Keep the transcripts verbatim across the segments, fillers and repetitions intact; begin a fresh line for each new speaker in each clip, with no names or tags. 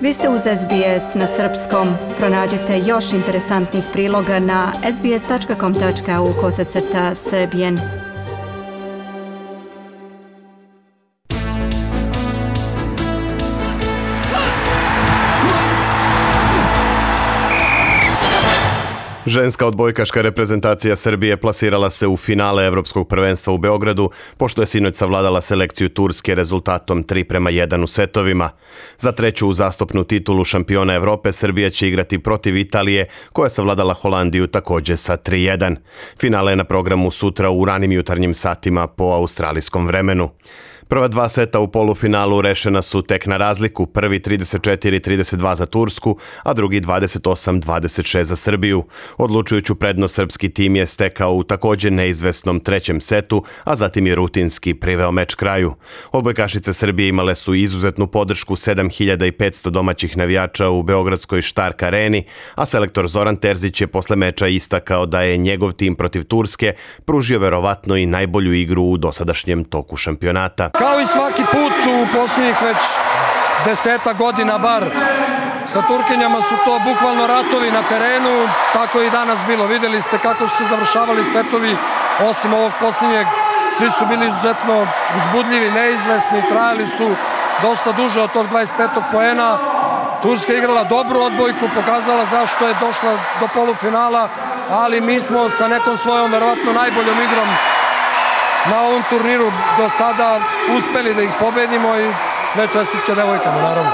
Vi ste uz S B S na srpskom. Pronađite još interesantnih priloga na sbs tačka com tačka au kosacrta srbijen.
Ženska odbojkaška reprezentacija Srbije plasirala se u finale Evropskog prvenstva u Beogradu, pošto je sinoć savladala selekciju Turske rezultatom tri prema jedan u setovima. Za treću uzastopnu titulu šampiona Evrope Srbija će igrati protiv Italije, koja je savladala Holandiju također sa tri jedan. Finale je na programu sutra u ranim jutarnjim satima po australijskom vremenu. Prva dva seta u polufinalu rešena su tek na razliku, prvi trideset četiri trideset dva za Tursku, a drugi dvadeset osam dvadeset šest za Srbiju. Odlučujuću prednost srpski tim je stekao u također neizvesnom trećem setu, a zatim je rutinski priveo meč kraju. Odbojkašice Srbije imale su izuzetnu podršku sedam hiljada petsto domaćih navijača u beogradskoj Štark areni, a selektor Zoran Terzić je posle meča istakao da je njegov tim protiv Turske pružio verovatno i najbolju igru u dosadašnjem toku šampionata.
Kao i svaki put u posljednjih već deseta godina bar, sa Turkinjama su to bukvalno ratovi na terenu, tako i danas bilo. Vidjeli ste kako su se završavali setovi, osim ovog posljednjeg, svi su bili izuzetno uzbudljivi, neizvesni, trajali su dosta duže od tog dvadeset petog poena. Turska je igrala dobru odbojku, pokazala zašto je došla do polufinala, ali mi smo sa nekom svojom verovatno najboljom igrom na ovom turniru do sada uspeli da ih pobedimo i sve čestitke devojkama, naravno.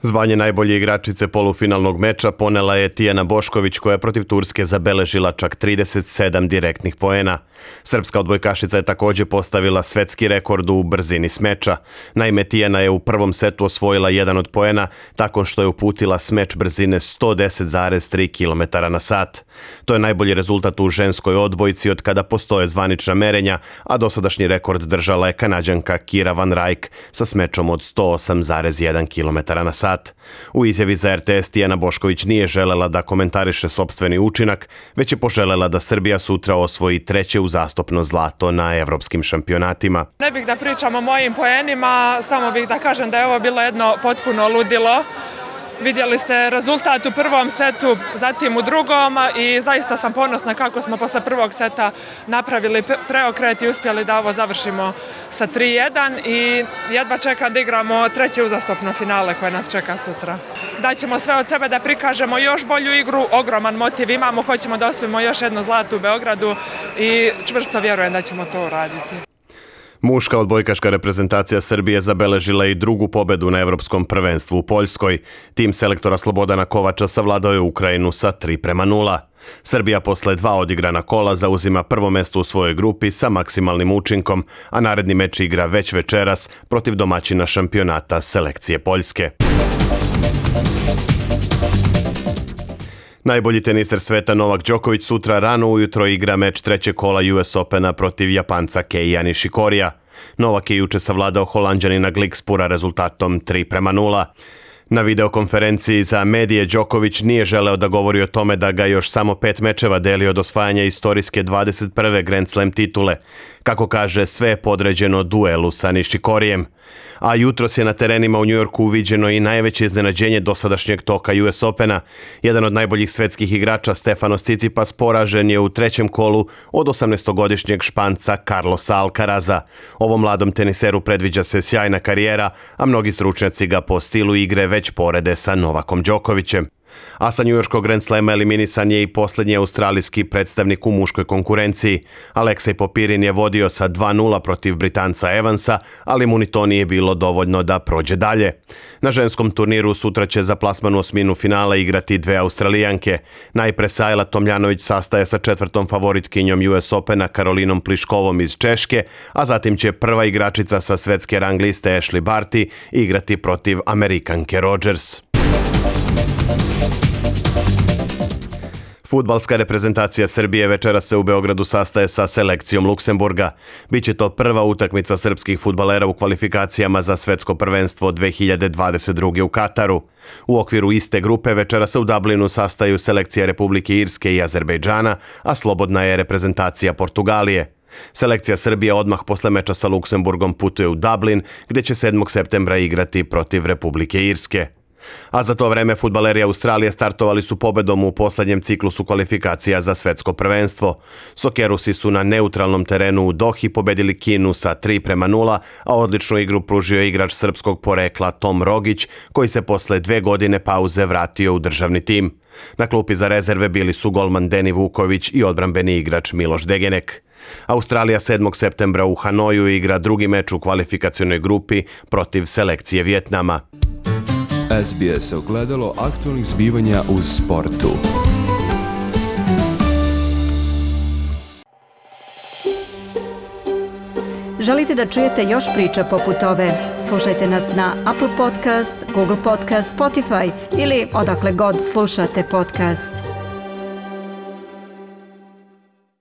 Zvanje najbolje igračice polufinalnog meča ponela je Tijana Bošković, koja je protiv Turske zabeležila čak trideset sedam direktnih poena. Srpska odbojkašica je također postavila svetski rekord u brzini smeča. Naime, Tijana je u prvom setu osvojila jedan od poena tako što je uputila smeč brzine sto deset zarez tri kilometra na sat. To je najbolji rezultat u ženskoj odbojci od kada postoje zvanična merenja, a dosadašnji rekord držala je Kanađanka Kira Van Rijk sa smečom od sto osam zarez jedan kilometar na sat. U izjavi za R T S Tijana Bošković nije želela da komentariše sopstveni učinak, već je poželjela da Srbija sutra osvoji treće uzastopno zlato na evropskim šampionatima.
Ne bih da pričam o mojim poenima, samo bih da kažem da je ovo bilo jedno potpuno ludilo. Vidjeli ste rezultat u prvom setu, zatim u drugom i zaista sam ponosna kako smo posle prvog seta napravili preokret i uspjeli da ovo završimo sa tri jedan i jedva čekam da igramo treće uzastopno finale koje nas čeka sutra. Daćemo sve od sebe da prikažemo još bolju igru, ogroman motiv imamo, hoćemo da osvojimo još jedno zlato u Beogradu i čvrsto vjerujem da ćemo to uraditi.
Muška odbojkaška reprezentacija Srbije zabeležila i drugu pobedu na Evropskom prvenstvu u Poljskoj. Tim selektora Slobodana Kovača savladao je Ukrajinu sa tri prema nula. Srbija posle dva odigrana kola zauzima prvo mesto u svojoj grupi sa maksimalnim učinkom, a naredni meč igra već večeras protiv domaćina šampionata selekcije Poljske. Najbolji teniser sveta Novak Đoković sutra rano ujutro igra meč trećeg kola U S Opena protiv Japanca Keija Nishikorija. Novak je juče savladao Holanđanina Glikspura rezultatom tri prema nula. Na videokonferenciji za medije Đoković nije želeo da govori o tome da ga još samo pet mečeva deli od osvajanja istorijske dvadeset prve Grand Slam titule. Kako kaže, sve je podređeno duelu sa Nishikorijem. A jutros je na terenima u Njujorku uviđeno i najveće iznenađenje dosadašnjeg toka U S Opena. Jedan od najboljih svetskih igrača Stefanos Tsitsipas poražen je u trećem kolu od osamnaestogodišnjeg Španca Carlosa Alcaraza. Ovom mladom teniseru predviđa se sjajna karijera, a mnogi stručnjaci ga po stilu igre već porede sa Novakom Đokovićem. A sa njujorškog Grand Slema eliminisan je i posljednji australijski predstavnik u muškoj konkurenciji. Aleksej Popirin je vodio sa dva nula protiv Britanca Evansa, ali mu ni to nije bilo dovoljno da prođe dalje. Na ženskom turniru sutra će za plasman u osminu finala igrati dve Australijanke. Najpre Sajla Tomljanović sastaje sa četvrtom favoritkinjom U S Opena Karolinom Pliškovom iz Češke, a zatim će prva igračica sa svetske rang liste Ashley Barty igrati protiv Amerikanke Rogers. Fudbalska reprezentacija Srbije večeras se u Beogradu sastaje sa selekcijom Luksemburga. Biće to prva utakmica srpskih fudbalera u kvalifikacijama za svetsko prvenstvo dve hiljade dvadeset druge u Kataru. U okviru iste grupe večeras se u Dublinu sastaju selekcija Republike Irske i Azerbejdžana, a slobodna je reprezentacija Portugalije. Selekcija Srbije odmah posle meča sa Luksemburgom putuje u Dublin, gde će sedmog septembra igrati protiv Republike Irske. A za to vreme fudbaleri Australije startovali su pobedom u poslednjem ciklusu kvalifikacija za svetsko prvenstvo. Sokerusi su na neutralnom terenu u Dohi pobedili Kinu sa tri prema nula, a odličnu igru pružio igrač srpskog porekla Tom Rogić, koji se posle dve godine pauze vratio u državni tim. Na klupi za rezerve bili su golman Deni Vuković i odbrambeni igrač Miloš Degenek. Australija sedmog septembra u Hanoju igra drugi meč u kvalifikacionoj grupi protiv selekcije Vjetnama.
S B S ogledalo aktualnih zbivanja u sportu.
Želite da čujete još priča poput ove? Slušajte nas na Apple Podcast, Google Podcast, Spotify ili odakle god slušate podcast.